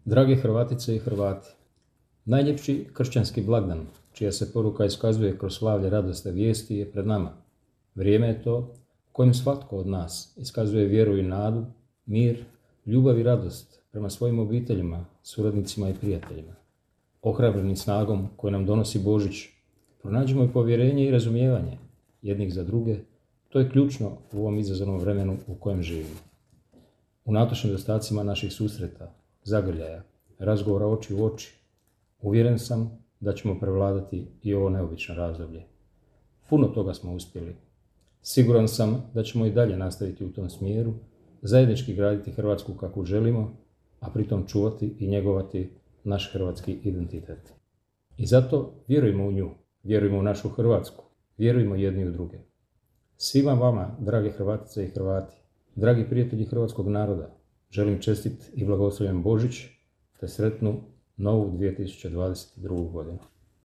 Drage Hrvatice i Hrvati, najljepši kršćanski blagdan, čija se poruka iskazuje kroz slavlje radosne vijesti, je pred nama. Vrijeme je to u kojem svatko od nas iskazuje vjeru i nadu, mir, ljubav i radost prema svojim obiteljima, suradnicima i prijateljima. Ohrabreni snagom koju nam donosi Božić, pronađimo i povjerenje i razumijevanje jednih za druge. To je ključno u ovom izazovnom vremenu u kojem živimo. Unatoč nedostacima naših susreta, zagrljaja, razgovora oči u oči, uvjeren sam da ćemo prevladati i ovo neobično razdoblje. Puno toga smo uspjeli. Siguran sam da ćemo i dalje nastaviti u tom smjeru, zajednički graditi Hrvatsku kakvu želimo, a pritom čuvati i njegovati naš hrvatski identitet. I zato vjerujmo u nju, vjerujmo u našu Hrvatsku, vjerujmo jedni u druge. Svima vama, drage Hrvatice i Hrvati, dragi prijatelji hrvatskog naroda, želim čestit i blagoslovljen Božić te sretnu novu 2022. godinu.